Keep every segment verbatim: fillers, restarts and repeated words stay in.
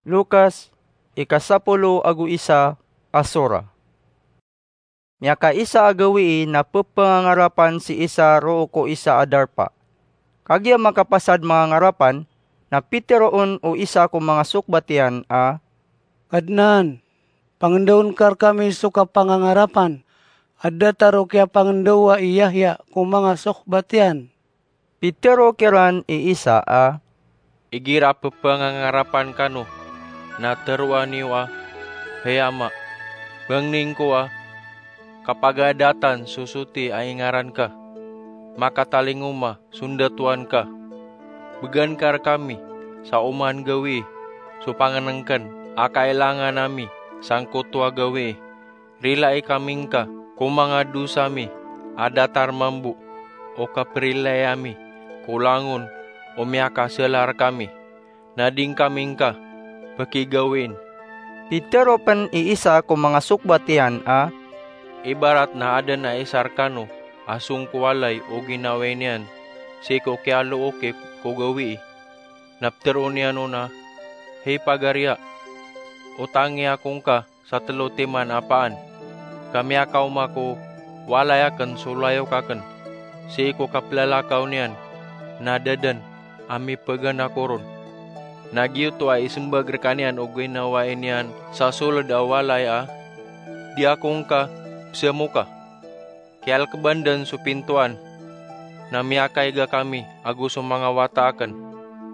Lukas, ikasapolo ago isa a sura. Miyakaisa a gawii na pepangangarapan si Isa roo ko isa a darpa. Kagiya makapasad mangangarapan, na piteroon o isa ko manga sokbat iyan a, "Kadnan, pangendaon ka rekami so kapangangarapan a datar o kiyapangendaowa i Yahya ko manga sokbat iyan." Pitero kiran i Isa a, "Igira pepangangarapan kano, na teroa niyo a, 'Hay Ama, bangnin ko a kapagadatan so soti a ingaran ka. Makatalingoma so ndatoan ka. Began ka rekami sa oman gawii so pangenengken a kailangan ami sangkoto a gawii. Rilai kami ngka ko manga dosa mi a datar mambo o kaperilai ami ko langon o miyakasala rekami, na di ngkami ngka pekigawiin.'" Pitero pen i Isa ko manga sokbat iyan a, "Ibarat na aden a isa rekano a song ko walay o ginawai niyan sii ko kiyalooki ko gawii, na petero niyan on a, 'Hay pagariya, otangi ako ngka sa telo timan a paan, ka miyakaoma ko walay aken so layok aken.' Sii ko kapelalakaw niyan na da den a mipegan ako ron. Na giyoto a isembag rekaniyan o ginawai niyan sa soled a walay a, 'Di ako ngka pesemoka.' Kiyalekeban den so pintoan, na miyakaiga kami ago so manga wata aken.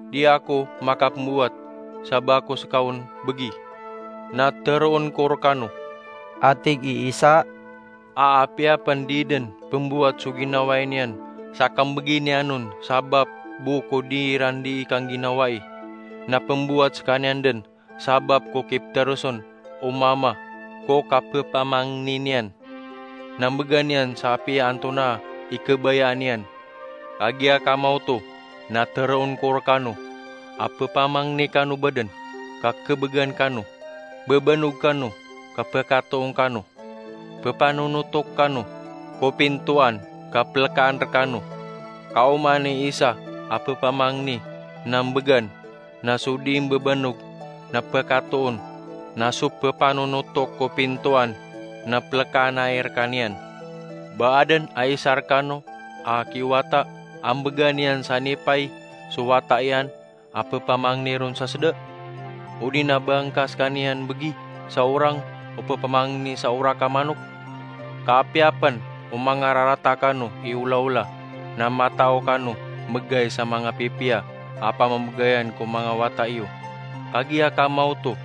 Di ako makapembowat sa ba ko seka on begi. Na teroon ko rekano," a tig i Isa, a apiya pen di den pembowat so ginawai niyan sa kambegi niyan on sabap bo ko di iran dii kangginawai, na pembowat sekaniyan den sabap ko kipteroson o Mama ko kapepamangni niyan. Na mbegan iyan sa apiya antonaa i kebayaan iyan. Kagiya kamaoto na teroon ko rekano a pepamangni kano baden ka kebegan kano, bebanog kano ka pekatoon kano, pepanonotok kano ko pintoan ka pelekaan rekano. Ka oman i isa a pepamangni na mbegan, na so di mbebanog na pekatoon, na so pepanonotok ko pintoan na pelekaan ai rekaniyan. Ba aden a isa rekano a kiwata a mbegan iyan sa nipay so wata iyan a pepamangni ron sa seda? Odi na ba ngka sekaniyan begi sa orang o pepamangni sa orak a manok? Ka apiya pen o mangararata kano i olaola, na matao kano mbegay sa manga pipiya a pamambegayan ko manga wata iyo. Kagiya kamaoto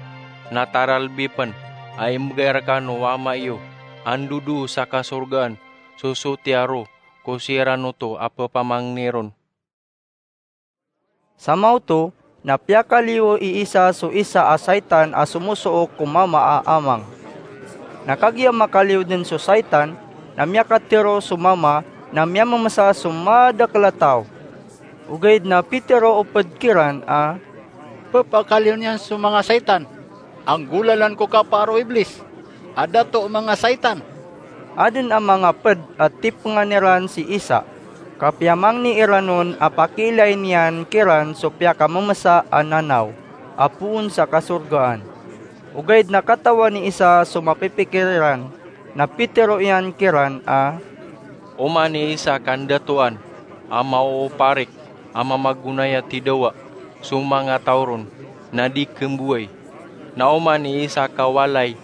na taralbi pen a imbegay rekano o Ama iyo a ndodoo sa kasorgaan so sotiya ro ko siran oto a pepamangni ron. Samaoto na piyakaliyo i Isa so isa a saitan a somosook ko mama a amang. Na kagiya makaliyo den so saitan, na miyakatero so mama na miyamemesa so madakel a taw. Ogaid na pitero o ped kiran a, "Pepakaliyo niyan so manga saitan a nggolalan ko kapaar o Iblis, a dato o manga saitan." Aden a manga ped a tipengan iran si Isa, ka piyamangni iran on a pakiilain iyan kiran so piyakamemesa a nanaw a poon sa kasorgaan. Ogaid na katawan i Isa so mapipikir iran, na pitero iyan kiran a, "Oman i isa kandatoan a maooparik a mamagonaya tidawa so manga taw ron na di kembowai. Na oman i isa kawalay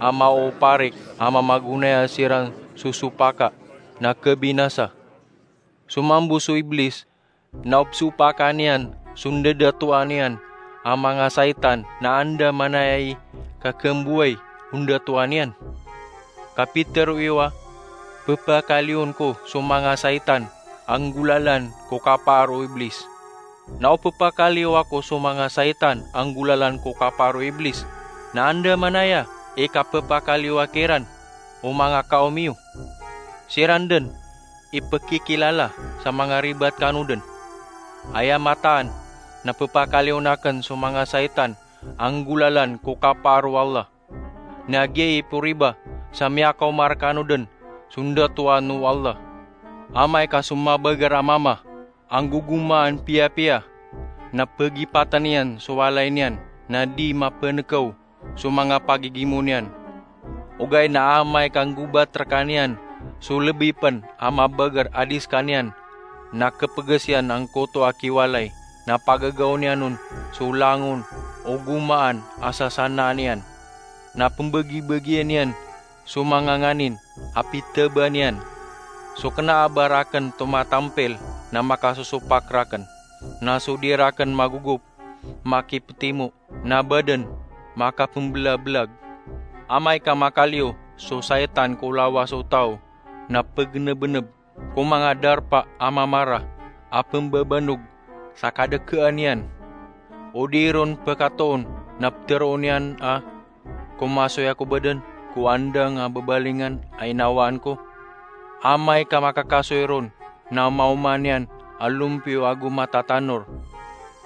a maooparik a mamagonaya siran so sopaka na kebinasa. So mambo so Iblis na o pesopaka niyan so ndadatoan iyan a manga saitan na anda manaya i kakembowai o ndatoan iyan?" Ka pitero iyo a, "Pepakaliyon ko so manga saitan a nggolalan ko kapaar o Iblis. Na o pepakaliyo ako so manga saitan a nggolalan ko kapaar o Iblis, na anda manaya i kapepakaliyoa kiran o manga kaom iyo? Siran den i pekikilala sa manga ribat kano den. Aya mataan na pepakaliyon aken so manga saitan a nggolalan ko kapaar o Allah. Na giyai i poriba sa miyakaoma rekano den so ndatoan o Allah. Amay ka so mabager a mama a nggogomaan piyapiya na pegipaten iyan so walay niyan na di mapenekaw so manga pagigimo niyan. Ogaid na amay ka nggobat rekaniyan so lebi pen a mabeger a di sekaniyan, na kepeges iyan angkoto a kiwalay, na pagagaw niyan on so langon o gomaan a sasanaan iyan, na pembegibegian iyan so manga nganin a pitebaan iyan. So kena a ba raken tomatampil na makasosopak raken, na so di raken magogop makipetimo, na baden makapembelabelag. Amay ka makaliyo so saitan ko lawas o taw, na pegenebeneb ko manga darpa a mamara a pembabanog sa kadekean iyan. O di ron pekatoon na peteroon iyan a, "Komasoy ako baden ko andang a bebalingan a inawaan ko." Amay ka makakasoy ron na maoma niyan a lompiyo ago matatanor,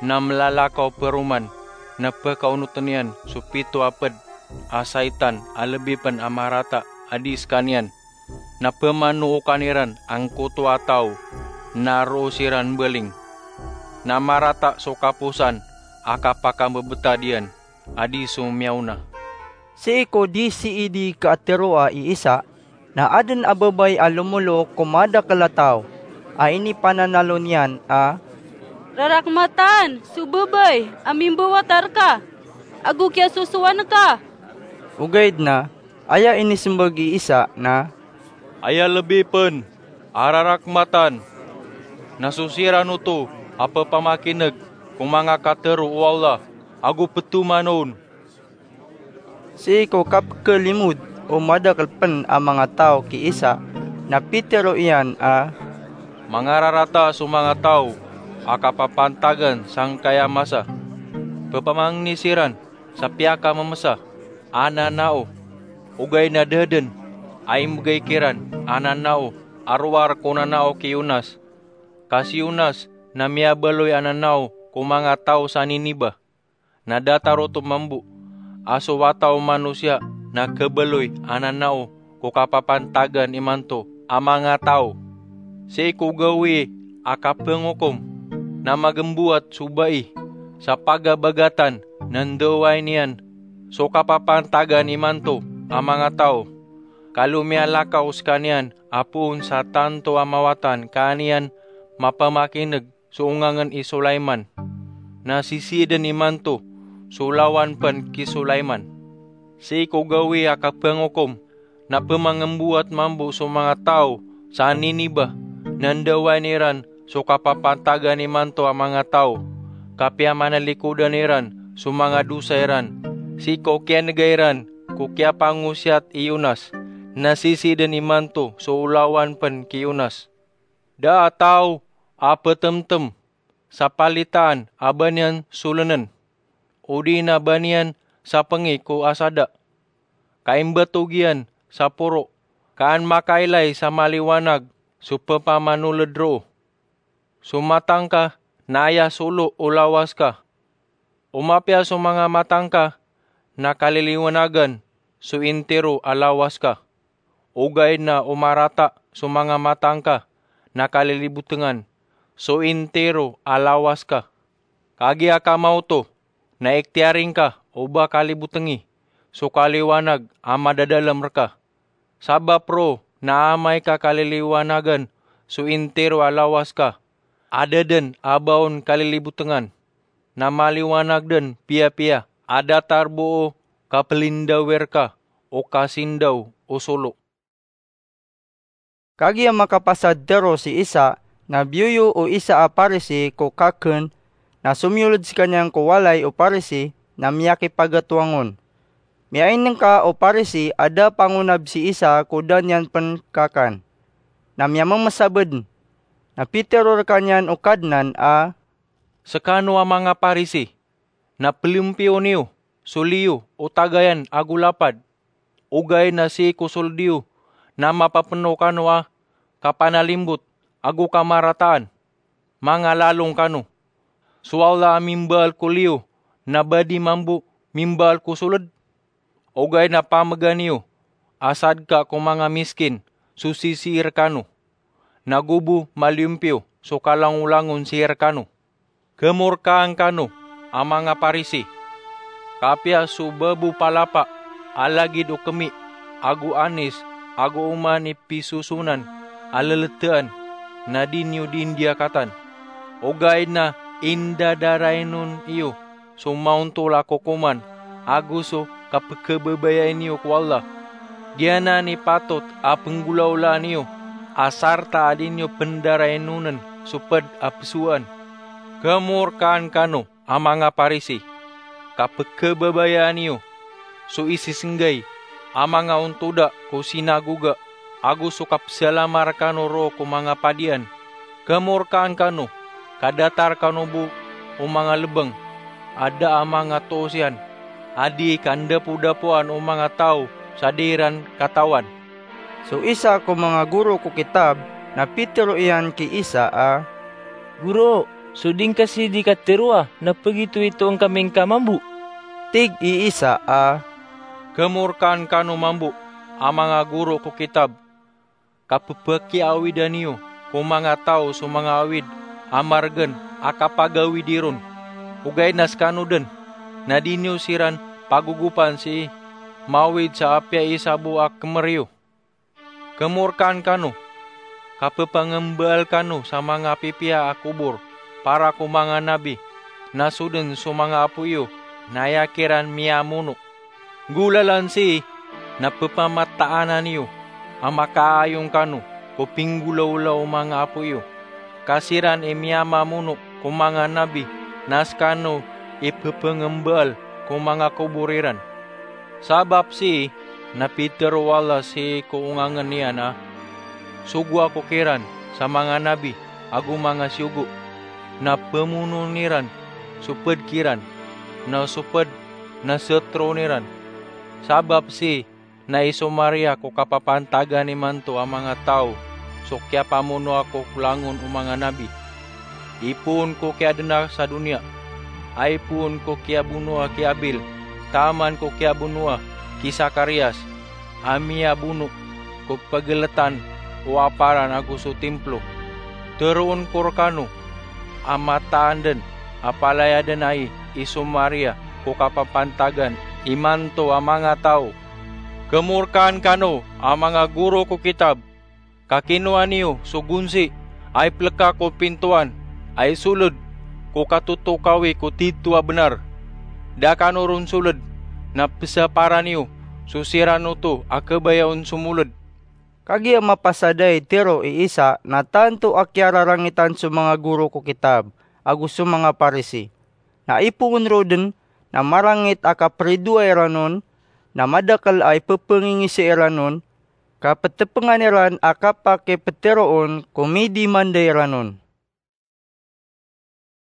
na melalakaw peroman, na pekaonoten iyan so pito a ped a saitan a lebi pen a marata a di sekaniyan, na pemanookan iran angkoto a taw, na roo siran mbaling. Na marata so kaposan a kapakambebetad iyan a di so miyaona. Sii ko di sii di kaateroa i Isa, na aden a babay a lomolook ko madakel a taw a inipananalo niyan a, "Rarakmatan so babay a mimbawata reka ago kiyasosowan ka." Ogaid na aya inisembag i Isa na, "Aya lebi pen a rarakmatan na so siran oto a pepamakineg ko manga katero o Allah ago petoman on." Sii ko kapekelimod o madakel pen a manga taw ki Isa, na pitero iyan a, "Mangararata so manga taw a kapapantagan sangkaya masa. Pepamangni siran sa piyakamemesa a nanao, ogaid na da den a imbegay kiran a nanao a rowar ko nanao ki Yonas. Ka si Yonas na miyabaloy a nanao ko manga taw sa Niniba. Na datar oto mambo a so Wata o Manosiya na khabaloy a nanao ko kapapantagan imanto a manga taw. Sii ko gawii a kapengokom na magembowat so bai sa pagabagatan na ndawai niyan so kapapantagan imanto a manga taw. Kalo miyalakaw sekaniyan a poon sa tanto a mawatan ka an iyan mapamakineg so ongangen i Sulaiman. Na sisii den imanto so olawan pen ki Sulaiman. Sii ko gawii a kapengokom na pemangembowat mambo so manga taw sa Niniba, na ndawain iran so kapapantagan imanto a manga taw, ka piyamanalikodan iran so manga dosa iran, sii ko kiyanega iran ko kiyapangosiyat i Yonas. Na sisii den imanto so olawan pen ki Yonas. Da a taw a petemtem sa palitaan a ba niyan solenen, odi na ba niyan sapengi ko asada, ka imbatog iyan sa poro, ka an makailay sa maliwanag so pepamanolod roo. So matang ka na aya solo o lawas ka. O mapiya so manga matang ka na kaliliwanagan so intiro a lawas ka. Ogaid na o marata so manga matang ka na kalilibotengan so intiro a lawas ka. Kagiya ka maoto na ikhtiyari ngka o ba kalibotengi so kaliwanag a madadalem reka. Sabap roo na amay ka kaliliwanagan so intiro a lawas ka, a da den a ba on kalilibotengan, na maliwanag den piyapiya a datar bo o kapelindawi reka o kasindaw o solo. Kagiya makapasad tero si Isa, na biyoyo o isa a Parisi ko kaken, na somiyoled sekaniyan ko walay o Parisi, na miyakipagatoang on. Miyainengka o Parisi a da pangonab si Isa ko da niyan pen kakan. Na miyamemesa bo den. Na pitero rekaniyan o Kadnan a, "Sekano a manga Parisi, na pelempiyo niyo so liyo o tagayan ago lapad. Ogaid na sii ko soled iyo na mapapeno kano a kapanalimbot ago kamarataan. Mangalalong kano. So Allah a mimbaal ko liyo na ba di mambo mimbaal ko soled? Ogaid na pamegan iyo a sadka ko manga miskin so sisii rekano, na go bo maliyompiyo so kalangolangon sii rekano. Kemorkaan kano a manga Parisi." Kapiya so babo palapa a lagid o kemi ago anis ago oman i pisosonan a leletaan na di niyo di ndiyakatan. Ogaid na indadarainon iyo so maontol a kokoman ago so kapekebabayai niyo ko Allah. Giyanan i patot a penggolaolaan iyo a sarta a di niyo pendarainon so ped a pesowaan. Kemorkaan kano a manga Parisi, kapekebabayaan iyo so isisenggay a manga ontoda ko sinagoga ago so kapsalamar kano ro ko manga padian. Kemorkaan kano, kadatar kano bo o manga lebeng a da a manga toos iyan, a di kandapodapoan o manga taw sa di iran katawan. So isa ko manga goro ko kitab na pitero iyan ki Isa a, "Goro, so di ngka sii di kateroa na pegitoitoon kami ngka mambo?" Tig i Isa a, "Kemorkaan kano mambo a manga goro ko kitab, kapepakiawidan iyo ko manga taw so manga awid a maregen a kapagawidi ron. Ogaid na sekano den na di niyo siran pagogopan sii mawid sa apiya isa bo a kemer iyo. Kemorkaan kano, kapepangembaal kano sa manga pipiya a kobor para ko manga nabi, na so den so manga apo iyo na aya kiran miyamono. Nggolalan sii na pepamataanan iyo a makaayong kano ko pinggolaola o manga apo iyo, ka siran i miyamamono ko manga nabi na sekano i pepengembaal ko manga kobor iran. Sabap sii na pitero o Allah sii ko ongangen iyan a, 'Sogo Ako kiran sa manga nabi ago manga siyogo, na pemonoon iran so ped kiran, na so ped na seteroon iran.' Sabap sii na isomarya ko kapapantagan imanto a manga taw so kiyapamonoa ko langon o manga nabi. Ipoon ko kiyadenar sa doniya, a ipoon ko kiyabonoa ki Abil, taman ko kiyabonoa ki Sakarias, a miyabono ko pegeletan o aparan ago so timplo. Teroon ko rekano a mataan den a palaya den ai isomarya ko kapapantagan imanto a manga taw. Kemorkaan kano a manga goro ko kitab, ka kinowa niyo so gonsi a ipeleka ko pintoan a isoled ko katotokawi ko tito a benar. Da kano ron soled, na pesapara niyo so siran oto a kebaya on somoled." Kagiya mapasad ai tero i Isa na tanto a kiyararangitan so manga goro ko kitab ago so manga Parisi. Na ipoon ro den na marangit a kapridoay iran on, na madakel a ipepengingisi iran on, ka petepengan iran a kapakipetero on ko midimanda iran on.